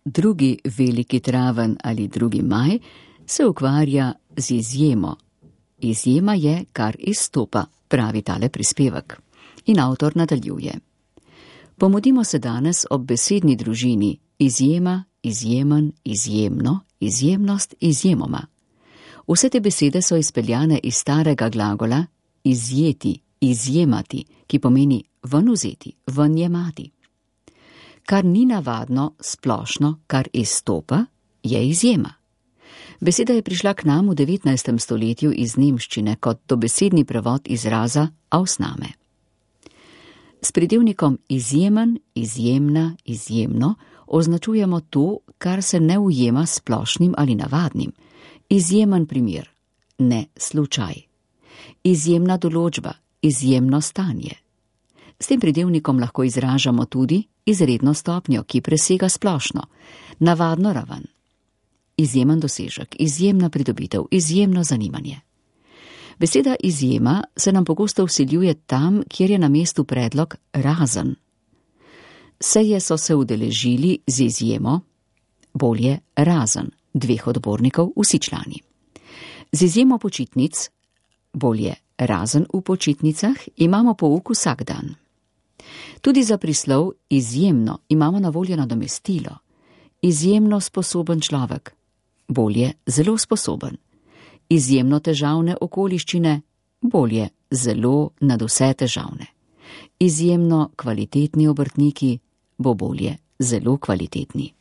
drugi veliki traven ali 2. maj se ukvarja z izjemo. Izjema je, kar izstopa, pravi tale prispevek. In avtor nadaljuje. Pomudimo se danes ob besedni družini izjema, izjemen, izjemno, izjemnost, izjemoma. Vse te besede so izpeljane iz starega glagola izjeti, izjemati, ki pomeni ven vzeti, ven jemati. Kar ni navadno, splošno, kar izstopa, je izjema. Beseda je prišla k nam v 19. stoletju iz nemščine kot dobesedni prevod izraza Ausnahme. S pridevnikom izjemen, izjemna, izjemno označujemo to, kar se ne ujema splošnim ali navadnim. Izjemen primer, ne slučaj. Izjemna določba, izjemno stanje. S tem pridevnikom lahko izražamo tudi izredno stopnjo, ki presega splošno, navadno raven. Izjemen dosežek, izjemna pridobitev, izjemno zanimanje. Beseda izjema se nam pogosto vsiljuje tam, kjer je na mestu predlog razen. Seje so se udeležili z izjemo, bolje razen 2 odbornikov, vsi člani. Z izjemo počitnic, bolje razen v počitnicah, imamo pouk vsak dan. Tudi za prislov izjemno imamo na voljo nadomestilo. Izjemno sposoben človek, bolje zelo sposoben. Izjemno težavne okoliščine, bolje zelo nadvse težavne. Izjemno kvalitetni obrtniki, bo bolje zelo kvalitetni.